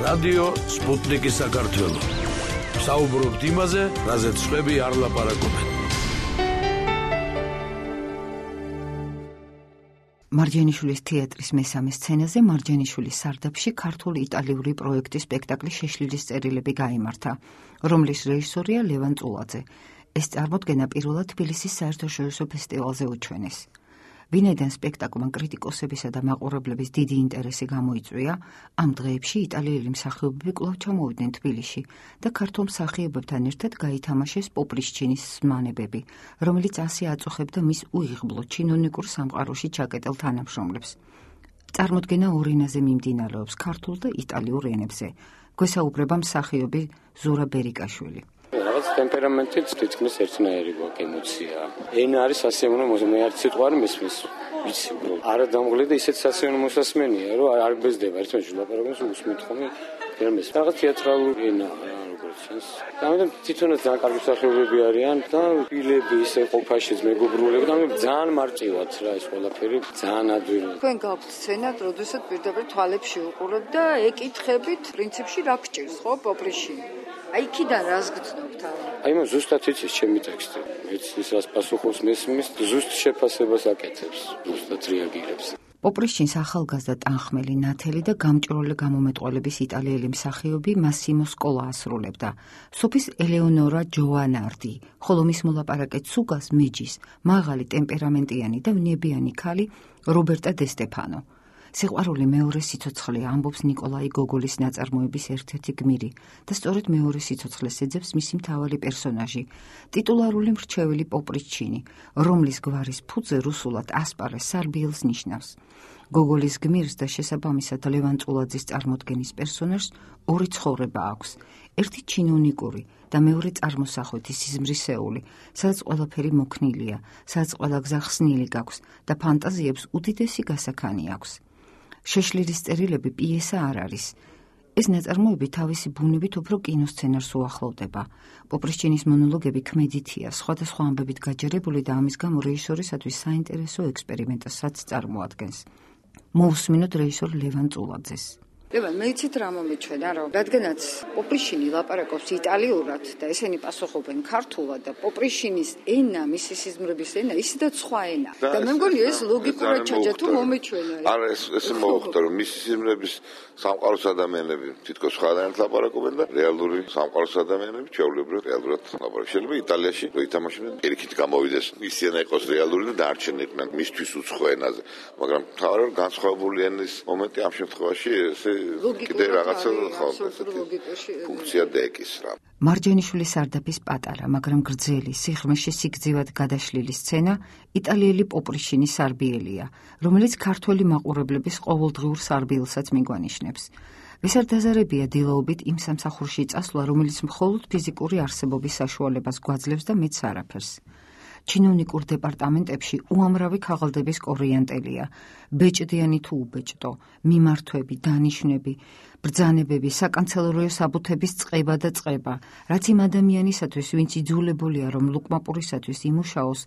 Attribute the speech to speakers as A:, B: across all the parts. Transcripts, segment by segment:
A: რადიო სპუტნიკი საქართველო. საუბრობთ იმაზე, რაზეც სხვები არ ლაპარაკობენ.
B: მარჯანიშვილის თეატრის მესამე სცენაზე მარჯანიშვილის სარდაფში ქართულ-იტალიური პროექტის სპექტაკლი შეშლილის წერილები გაიმართა, რომლის რეჟისორია ლევან წულაძე. ეს წარმოდგენა პირველად თბილისის საერთაშორისო ფესტივალზე უჩვენეს. ვინაიდან სპექტაკლმა კრიტიკოსებისა და მაყურებლების დიდი ინტერესი გამოიწვია, ამ დღეებში იტალიელი მსახიობები კვლავ ჩამოვიდნენ თბილისში და ქართულ მსახიობებთან ერთად გაითამაშეს პოპრიშჩინის ზმანებები, რომელიც ასე აწუხებდა მის უიღბლო ჩინონიკურ სამყაროში ჩაკეტილ თანამშრომლებს. წარმოდგენა ორ ენაზე მიმდინარეობს, ქართულ და იტალიურ ენებზე. გვესაუბრება მსახიობი ზურა ბერიკაშვილი.
C: რაღაც ტემპერამენტით თითქმის ერთნაირი გვაქვს ემოცია. ენა არის სასიამოვნო მე არც სიტყვა არ მესმის. ვიცი, არა დამღლე და ისეთ სასიამოვნო მოსასმენია, რომ არ ბეზდება ერთმანეთში ლაპარაკობს უსმენთ ხოლმე ფერმეს. რაღაც თეატრალური ენა როგორც ჩანს. ამიტომ თვითონაც ძალიან კარგი მსახიობები არიან და ფილები ისე ყოფაშიც მეგობრულები და მე ძალიან მარტივად რა ეს ყველაფერი ძალიან ადვილი.
D: თქვენ გაქვთ სცენა, როდესაც პირდაპირ თვალებში უყურებთ და ეკითხებით პრინციპში რა გჭირს, ხო, პოპრიში. აი იქიდან რას გძნობთ?
C: აი მო ზუსტად იცის ჩემი ტექსტი. მეც ის რას პასუხობს მესმის, ზუსტ შეფასებას აკეთებს, ზუსტად რეაგირებს.
B: პოპრიშჩინს ახალგაზრდა ტანხმელი, ნათელი და გამჭროლე გამომეტყველების იტალიელი მსახიობი მასიმო სკოლა ასრულებდა. სოფის ელეონორა ჯოვანარდი, ხოლო მის მოლაპარაკეთ სუგას მეჯის, მაღალი ტემპერამენტიანი და ვნებიანი ქალი რობერტა დე სტეფანო. სიყვარული მეორე სიცოცხლეა, ამბობს ნიკოლაი გოგოლის ნაწარმოების ერთ-ერთი გმირი და სწორედ მეორე სიცოცხლეს ეძებს მისი მთავარი პერსონაჟი, ტიტულარული მრჩეველი პოპრიჩინი, რომლის გვარის ფუძე რუსულად ასპარეს სარბიელს ნიშნავს. გოგოლის გმირს და შესაბამისად ლევან წულაძის წარმოდგენის პერსონაჟს ორი ცხოვრება აქვს. ერთი ჩინონიკური და მეორე წარმოსახვეთი სიზმრისეული, სადაც ყველაფერი მოქნილია, სადაც ყველა გზა ხსნილი გაქვს და ფანტაზიებს უდიდესი გასაქანი აქვს. შეშლილის წერილები პიესა არ არის. ეს ნაწარმოები თავისი ბუნებით უფრო კინოსცენარს უახლოვდება. პოპრიშჩინის მონოლოგები ქმედითია, სხვადასხვა ამბებით გაჯერებული და ამის გამო რეჟისორისათვის საინტერესო ექსპერიმენტასაც წარმოადგენს. მოусმინოთ რეჟისორ ლევან წულაძეს.
D: ლევან, მე იცით რა მომიჩვენა, რომ რადგანაც პოპრიშინი ლაპარაკობს იტალიურად და ესენი პასუხობენ ქართულად და პოპრიშინის ენა, მისი სიზმრების ენა, ისედაც სხვა ენა. და მე მგონი ეს ლოგიკურად ჩაჯა თუ მომიჩვენა.
E: არა, ეს მოხდა, რომ მისი სიზმრების სამყაროს ადამიანები თითქოს სხვადასხვა ლაპარაკობენ და რეალური სამყაროს ადამიანები ჩვეულებრივად რეალურად ლაპარაკობენ. შეიძლება იტალიაში რო ითამაშებენ, პირიქით გამოვიდეს ის ენა იყოს რეალური და დარჩენიყვნენ მისთვის უცხო ენაზე, მაგრამ თავაროდ განსხვავებული ენის მომენტი ამ შემთხვევაში ესე კიდე რაღაცა ფუნქცია დაეკის რა.
B: მარჯანიშვილის სარდაფის პატარა, მაგრამ გრძელი, სიღრმეში სიგრძივად გადაშლილი სცენა იტალიელი პოპრიშინის სარბიელია, რომელიც ქართველი მაყურებლების ყოველდღიურ სარბიელსაც მიგვანიშნებს. ვისარდაზარებია დილაობით იმ სამსახურში წასვლა, რომელიც მხოლოდ ფიზიკური არსებობის საშუალებას გვაძლევს და მეც არაფერს. ჩინოვნიკურ დეპარტამენტებში უამრავი ქაღალდების კორიანტელია, ბეჭდიანი თუ უბეჭდო, მიმართვები, დანიშნები, ბრძანებები, საკანცელერიო საბუთების წყება და წყება, რაც იმ ადამიანისათვის, ვინც იძულებულია, რომ ლუკმაპურისათვის იმუშაოს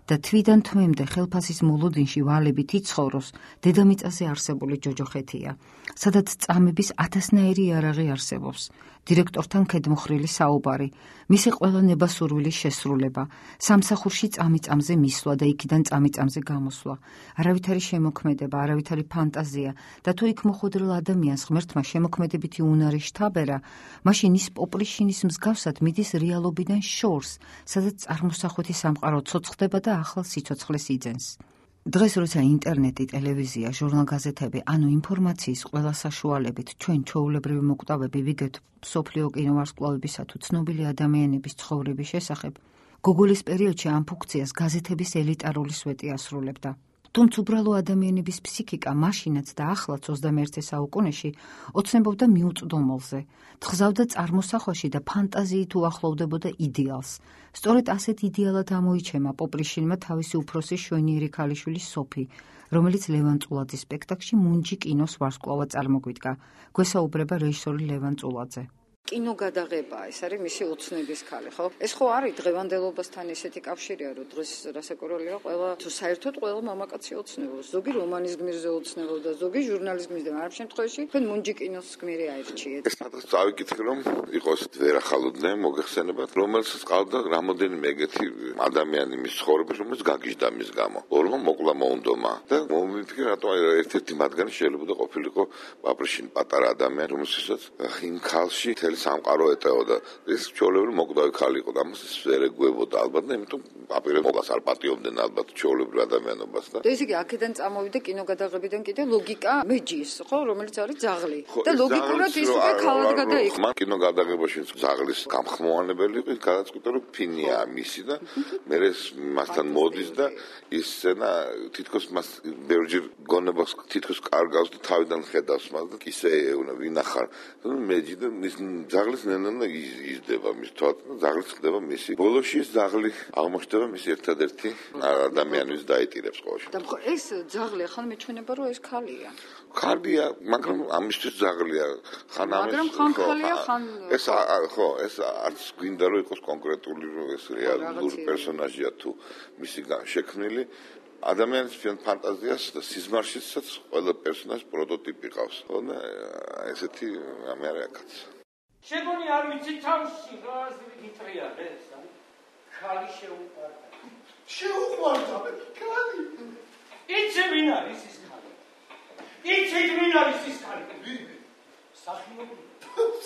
B: და თვიდან თვემდე ხელფასის მოლოდინში ვალებით იცხოვროს, დედამიწაზე არსებული ჯოჯოხეთია, სადაც წამების ათასნაირი იარაღი არსებობს. დირექტორთან ქედმოხრილი საუბარი, მისი ყველა ნებასურვილის შესრულება, სამსახურში წამიწამზე მისვლა და იქიდან წამიწამზე გამოსვლა, არავითარი შემოქმედება, არავითარი ფანტაზია და თუ იქ მოხვედრილ ადამიანს ღმერთმა შემოქმედებითი უნარი შთაბერა, მაშინ ის პოპრიშინის მსგავსად მიდის რეალობიდან შორს, სადაც წარმოსახვეთი სამყარო ცოცხლდება და ახალ სიცოცხლეს იძენს. დღეს როცა ინტერნეტი, ტელევიზია, ჟურნალ-გაზეთები, ანუ ინფორმაციის ყველა საშუალებით ჩვენ ჩვეულებრივი მოკვდავები ვიგებთ მსოფლიო კინოვარსკვლავებისა თუ ცნობილი ადამიანების ცხოვრების შესახებ, გოგოლის პერიოდში ამ ფუნქციას გაზეთების ელიტარული სვეტი ასრულებდა. თუმცა უბრალო ადამიანების ფსიქიკა მაშინაც და ახლაც 21 საუკუნეში ოცნებობდა მიუწვდომელზე, თხზავდა წარმოსახვაში და ფანტაზიით უახლოვდებოდა იდეალს. სწორედ ასეთ იდეალად ამოიჩემა პოპრიშინმა თავისი უფროსი შვენიერი ქალიშვილი სოფი, რომელიც ლევან წულაძის სპექტაკლში მუნჯი კინოს ვარსკვლავად წარმოგვიდგა. გვესაუბრება რეჟისორი ლევან წულაძე.
D: კინოგადაღებაა, ეს არის მისი ოცნების ქალი, ხო? ეს ხო არის დღევანდელობასთან ესეთი კავშირია, რომ დღეს რასაკვირველია, ყველა თუ საერთოდ ყველა მამაკაცი ოცნებობს. ზოგი რომანის გმირზე ოცნებობდა, ზოგი ჟურნალის გმირზე, მაგრამ ამ შემთხვევაში თქვენ მუნჯი კინოს გმირი აირჩიეთ.
E: ეს სადღაც წავიკითხე, რომ იყოს ვერახალოდნენ მოგეხსენებათ, რომელსაც ყავდა რამოდენიმე ეგეთი ადამიანი მის ცხოვრებაში, რომელიც გაგიჟდა მის გამო. ორმა მოკლა მოუნდომა და მომიფიქრე, რატომ ერთ-ერთი მათგანი შეიძლება ყოფილიყო პაპრიშინ პატარა ადამიანი, რომელსაც იმ ქალში მთელი სამყარო ეტეოდა. ეს ჩვეულებრივი მოკვდავი ქალი იყო და ამას ვერ ეგუებოდა ალბათ და იმიტომ აპირებს მოგას არ პატიობდნენ ალბათ ჩვეულებრივ ადამიანობას და
D: ესე იგი აქედან წამოვიდა კინოგადაღებიდან კიდე ლოგიკა მეჯის, ხო, რომელიც არის ძაღლი. და ლოგიკურად ის უკვე ქალად გადაიქცა.
E: მან კინოგადაღებაში ძაღლის გამხმოვანებელი იყო, გადაწყვიტა რომ ფინია მისი და მე მასთან მოდის და ის სცენა თითქოს მას ბევრჯერ გონებას თითქოს კარგავს და თავიდან ხედავს მას და ისე ვინახარ მეჯი და მის ძაღლის ნენა იზრდება მის თვალს და ძაღლი ხდება მისი ბოლოში ეს ძაღლი აღმოჩნდება მის ერთადერთი ადამიანის დაიტირებს ყოველში
D: და ხო ეს ძაღლი ახლა მეჩვენება რომ ეს ქალია
E: ქალია მაგრამ ამისთვის ძაღლია ხან ამის
D: მაგრამ ხან ქალია ხან
E: ეს ხო ეს არც გვინდა რომ იყოს კონკრეტული ეს რეალური პერსონაჟია თუ მისი შექმნილი ადამიანის ფანტაზიას და სიზმარშიც ყველა პერსონაჟს პროტოტიპი ყავს. ხო და ესეთი რამე არის აქაც.
F: შეგონი არ ვიცი თავში რა აზრი გიტრიალეს, ხალი შეუყვარდა. შეუყვარდა ხალი. იცი ვინ არის ის ხალი? იცი ვინ არის ის ხალი? სახიობი.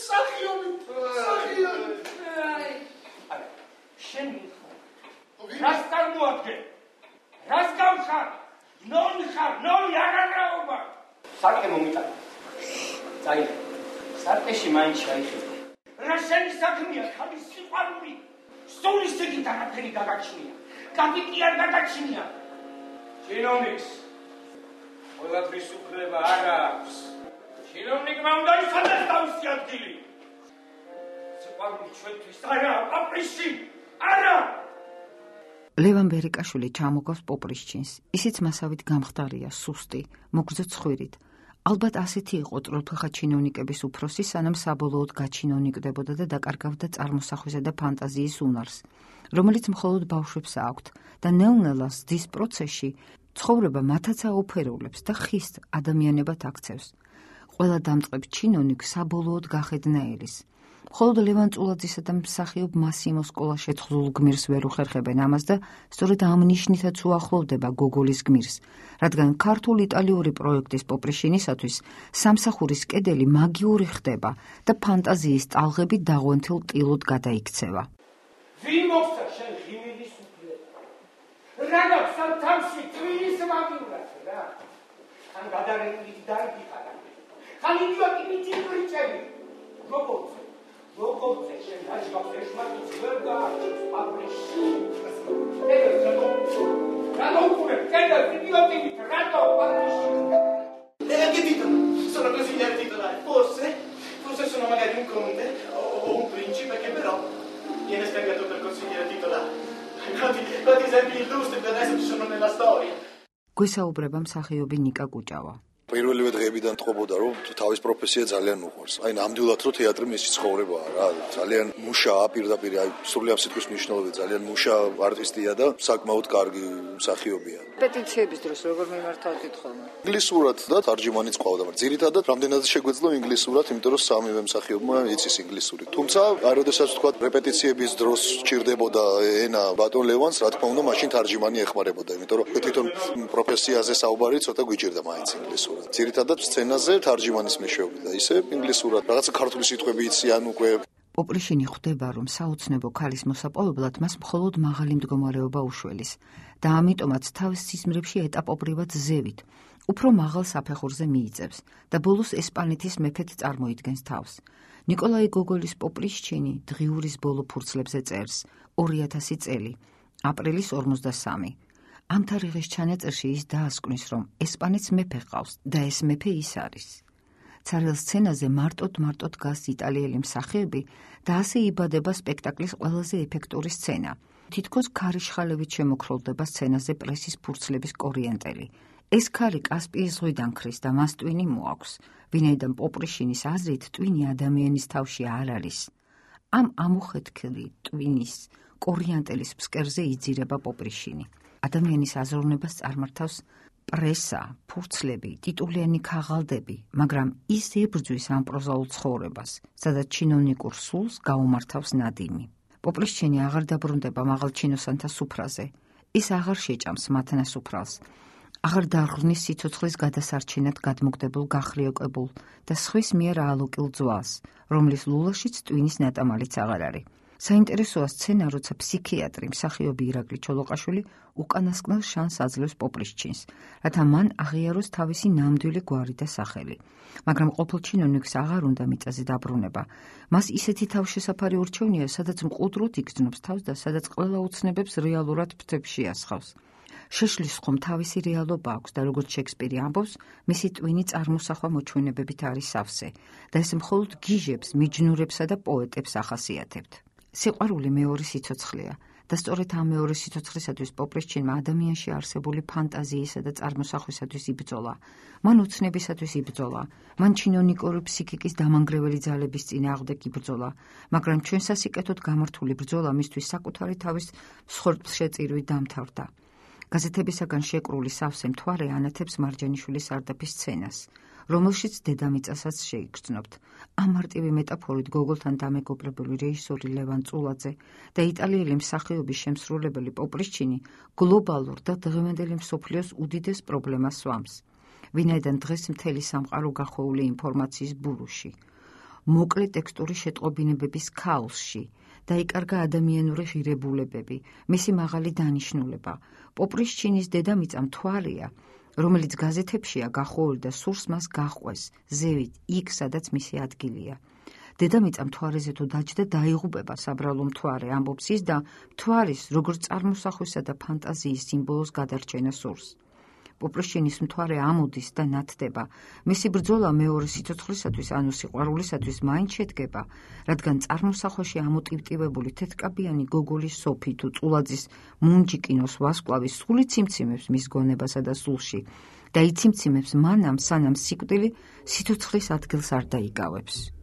F: სახიობი. სახიობი. აი. შენ რას წარმოადგენ? რას გავხარ? ნოლი ხარ, ნოლი აღარაობა. სარკე მომიტანა. წაი. სარკეში მაინც შეიხედა. რა შენი საქმეა, ხალის სიყვარული? სულის ეგით არაფერი გაგაჩნია. კაპიტი არ გადაჩნია. ჩინოვნიკს. ყველაფრის უფლება არ აქვს. ჩინოვნიკმა უნდა იცოდეს თავისი ადგილი. სიყვარული ჩვენთვის არა, პაპრიში. არა.
B: ლევან ბერიკაშვილი ჩამოგავს პოპრიშჩინს. ისიც მასავით გამხდარია, სუსტი, მოგრძო ცხვირით. ალბათ ასეთი იყო წროთლხა ჩინოვნიკების უფროსი, სანამ საბოლოოდ გაჩინოვნიკდებოდა და დაკარგავდა წარმოსახვისა და ფანტაზიის უნარს, რომელიც მხოლოდ ბავშვებს აქვთ და ნელ-ნელა ზრდის პროცესში ცხოვრება მათაც აუფერულებს და ხის ადამიანებად აქცევს. ყველა დამწყებ ჩინოვნიკ საბოლოოდ გახედნა ელის. მხოლოდ ლევან წულაძისა და მსახიობ მასიმო სკოლას შეთხზულ გმირს ვერ უხერხებენ ამას და სწორედ ამ ნიშნითაც უახლოვდება გოგოლის გმირს, რადგან ქართულ-იტალიური პროექტის პოპრიშინისათვის სამსახურის კედელი მაგიური ხდება და ფანტაზიის ტალღები დაღვენთილ ტილოდ გადაიქცევა.
F: ვინ მოხდა შენ ღიმილის უფლება? რა გაქვს ამ თავში თვითის მაგივრად რა? ხან გადარეული დაიგიხარა. ხან იდიოტი მიჭირჭები. როგორ შენ დაჟღავს ეშმაკიც ვერ გაარჩევს პაპრიში. რატო უკურე? კედა იდიოტივით, რატო პაპრიში?
G: Che titolo? Sono così nel titolare. Forse sono magari un conte o un principe che però viene spiegato per consigliere titolare. Quanti esempi illustri che adesso ci sono nella storia.
B: გვესაუბრება მსახიობი ნიკა კუჭავა.
H: პირველივე დღეებიდან თხოვოდა რომ თავის პროფესია ძალიან უყვარს. აი ნამდვილად რომ თეატრი მისი ცხოვრებაა რა. ძალიან მუშაა პირდაპირ, აი სრულიად სიტყვის მნიშვნელობით ძალიან მუშა არტისტია და საკმაოდ კარგი მსახიობია.
D: პეტიციების დროს როგორ მიმართავთ ხოლმე?
H: ინგლისურად და თარჯიმანიც ყავდა, მაგრამ ძირითადად რამდენადაც შეგვეძლო ინგლისურად, იმიტომ რომ სამივე მსახიობმა იცის ინგლისური. თუმცა აი როდესაც თქვა რეპეტიციების დროს სჭირდებოდა ენა ბატონ ლევანს, რა თქმა უნდა, მაშინ თარჯიმანი ეხმარებოდა, იმიტომ რომ თვითონ პროფესიაზე საუბარი ცოტა გვიჭირდა მაინც ინგლისურად. ძირითადად სცენაზე თარჯიმანის მეშვეობით და ისე ინგლისურად რაღაცა ქართული სიტყვები იციან უკვე.
B: პოპრიშინი ხვდება, რომ საოცნებო ქალის მოსაპოვებლად მას მხოლოდ მაღალი მდგომარეობა უშველის და ამიტომაც თავის სიზმრებში ეტაპობრივად ზევით, უფრო მაღალ საფეხურზე მიიწევს და ბოლოს ესპანეთის მეფედ წარმოიდგენს თავს. ნიკოლაი გოგოლის პოპრიშჩინი დღიურის ბოლო ფურცლებზე წერს 2000 წელი, აპრილის 53. ამ თარიღის ჩანაწერში ის დაასკვნის, რომ ესპანეთს მეფე ყავს და ეს მეფე ის არის. ცარიელ სცენაზე მარტოდ დგას იტალიელი მსახიობი და ასე იბადება სპექტაკლის ყველაზე ეფექტური სცენა. თითქოს ქარიშხალევით შემოქროლდება სცენაზე პრესის ფურცლების კორიენტელი. ეს ქარი კასპიის ზღვიდან ქრის და მას ტვინი მოაქვს, ვინაიდან პოპრიშინის აზრით ტვინი ადამიანის თავში არ არის. ამ ამუხეთქილი ტვინის კორიანტელის ფსკერზე იძირება პოპრიშინი. ადამიანის აზროვნებას წარმართავს პრესა, ფურცლები, ტიტულიანი ქაღალდები, მაგრამ ის ებრძვის ამ პროზაულ ცხოვრებას, სადაც ჩინოვნიკურ სულს გაუმართავს ნადიმი. პოპრიშინი აღარ დაბრუნდება მაღალ ჩინოსანთა სუფრაზე. ის აღარ შეჭამს მათ ნასუფრალს. აღარ დაღრნის სიცოცხლის გადასარჩენად გადმოგდებულ გახრიოკებულ და სხვის მიერ აალოკილ ძვალს, რომლის ლულაშიც ტვინის ნატამალიც აღარ არის. საინტერესოა სცენა, როცა ფსიქიატრი მსახიობი ირაკლი ჩოლოყაშვილი უკანასკნელ შანსს აძლევს პოპრიშჩინს, რათა მან აღიაროს თავისი ნამდვილი გვარი და სახელი. მაგრამ ყოფილ ჩინოვნიკს აღარ უნდა მიწაზე დაბრუნება. მას ისეთი თავშესაფარი ურჩევნია, სადაც მყუდროდ იგრძნობს თავს და სადაც ყველა უცნებებს რეალურად ფრთებში ასხავს. შეშლის ხომ თავისი რეალობა აქვს და როგორც შექსპირი ამბობს, მისი ტვინი წარმოსახვა მოჩვენებებით არის სავსე და ეს მხოლოდ გიჟებს, მიჯნურებსა და პოეტებს ახასიათებთ. სიყვარული მეორე სიცოცხლეა და სწორედ ამ მეორე სიცოცხლისათვის პოპრიშჩინმა ადამიანში არსებული ფანტაზიისა და წარმოსახვისათვის იბრძოლა. მან უცნებისათვის იბრძოლა, მან ჩინოვნიკური ფსიქიკის დამანგრეველი ძალების წინააღმდეგ იბრძოლა, მაგრამ ჩვენ სასიკეთოდ გამართული ბრძოლა მისთვის საკუთარი თავის მსხვერპლშეწირვით დამთავრდა. გაზეთებისაგან შეკრული სავსე მთვარე ანათებს მარჯანიშვილის სარდაფის სცენას, რომელშიც დედამიწასაც შეიგრძნობთ. ამ მარტივი მეტაფორით გოგოლთან დამეგობრებული რეჟისორი ლევან წულაძე და იტალიელი მსახიობის შემსრულებელი პოპრიშჩინი გლობალურ და დღევანდელი მსოფლიოს უდიდეს პრობლემას სვამს. ვინაიდან დღეს მთელი სამყარო გახვეული ინფორმაციის ბურუში, მოკლე ტექსტური შეტყობინებების ქაოსში, დაიკარგა ადამიანური ღირებულებები, მისი მაღალი დანიშნულება. პოპრიშჩინის დედამიწა მთვარეა, რომელიც გაზეთებშია გახვეული და სურს მას გაჰყვეს, ზევით, იქ, სადაც მისი ადგილია. დედამიწა მთვარეზე თუ დაჯდა დაიღუპება საბრალო მთვარე, ამბობს ის და მთვარის, როგორც წარმოსახვისა და ფანტაზიის სიმბოლოს გადარჩენა სურს. პოპრიშჩინის მთვარე ამოდის და ნათდება. მისი ბრძოლა მეორე სიცოცხლისათვის, ანუ სიყვარულისათვის მაინც შედგება, რადგან წარმოსახვაში ამოტივტივებული თეთრკაბიანი გოგოლის სოფი თუ წულაძის მუნჯიკინოს ვარსკვლავის სული ციმციმებს მის გონებასა და სულში და იციმციმებს მანამ, სანამ სიკვდილი სიცოცხლის ადგილს არ დაიკავებს.